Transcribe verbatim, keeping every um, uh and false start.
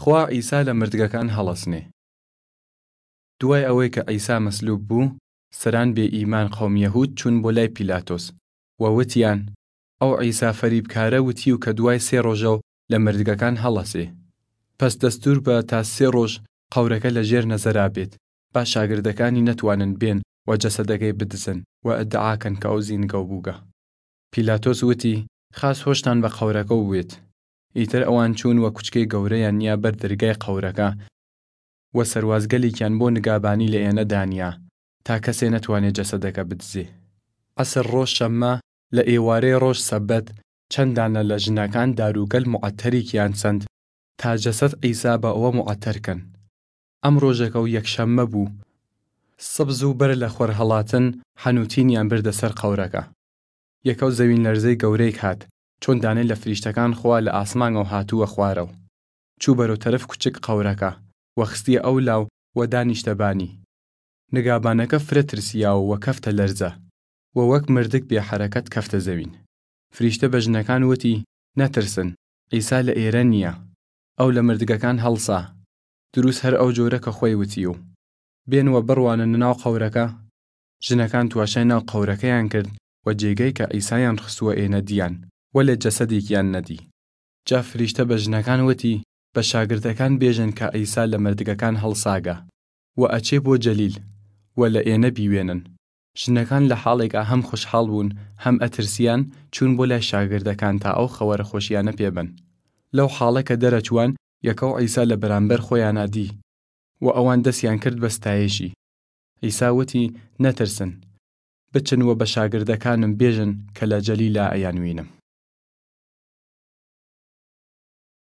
خوا عیسا لە مردگەکان هەڵەسنێ. دوای ئەوەی کە عیسا مەسلوب بۊ، سەران بێ ئیمان قەوم یەهوود چوون بۆ لای پیلاتۆس و وتیان، ئەو عیسا فەریبکارە وتیو کە دوای سێ ڕۆژەو لە مردگەکان هەڵەسێ. پەس دەستوور بە تا سێ ڕۆژ قەورەکە لە ژێر نەزەرا بێت، با شاگردەکانی نەتوانن بێن و جەسەدەگەی بدزن و ئدعا کەن کە ئەو زینگەو بووگە. پیلاتۆس وتی، خاس هۆشتان بە قەورەکەو بوێت. ئیتر ئەوان چوون و کوچکەی گەورەیان نیا بەر دەرگای قەورەکە و سەروازگەلیکیان بۆ نگابانی لە ئێنە دانیا تا کەسێ نەتوانێ جەسەدەکە بدزێ. عەسر ڕۆژ شەممە، لە ئێوارەی ڕۆژ سەبەت، چەن دانە لە ژنەکان داروگەل موعەتەریکیان سەند تا جەسەد عیسا بە ئەوە موعەتەر کەن. ئەم ڕۆژەکەو یەکشەممە بۊ. سب زۊ بەر لە خوەرهەڵاتن حەنووتینیان بردە سەر قەورەکە. یەکەو زەوینلەرزەی گەورەیگ هات، چۆن دانەی لە فریشتەکان خوا لە ئاسمانەو هاتووە خوارەو. چوو بەرەو تەرەف کوچگ قەورەکە و خستیە ئەو لاو و دانیشتە بانی. نگابانەکە فرە ترسیاو و کەفتە لەرزە و وەک مردگ بێ حەرەکەت کەفتە زەوین. فریشتە بە ژنەکان وتی، نەترسن، عیسا لە ئێرە نیە. ئەو لە مردگەکان هەڵسا، دروس هەر ئەو جۆرە کە خوەی وتیو. بێن و بڕوانن ناو قەورەکە. ژنەکان تواشای ناو قەورەکەیان کرد و جێگەی کە عیسایان خستووە ئێنە دیان، وەلێ جەسەدیکیان نەدی. جا فریشتە بە ژنەکان وتی، بە شاگردەکان بێژن کە عیسا لە مردگەکان هەڵساگە و ئەچێ بۆ جەلیل و لە ئێنە بیوێنن. ژنەکان لە حاڵێگا هەم خوشحاڵ بۊن هەم ئەترسیان، چوون بۆ لای شاگردەکان تا ئەو خەوەرە خوەشیانە پێ بەن. لەو حاڵە کە دەرەچوان، یەکەو عیسا لە بەرامبەر خوەیانا دی و ئەوان دەسیان کرد بە ستایشی. عیسا وتی، نەترسن، بچن و بە شاگردەکانم بێژن کە لە جەلیلا ئەیان وینم.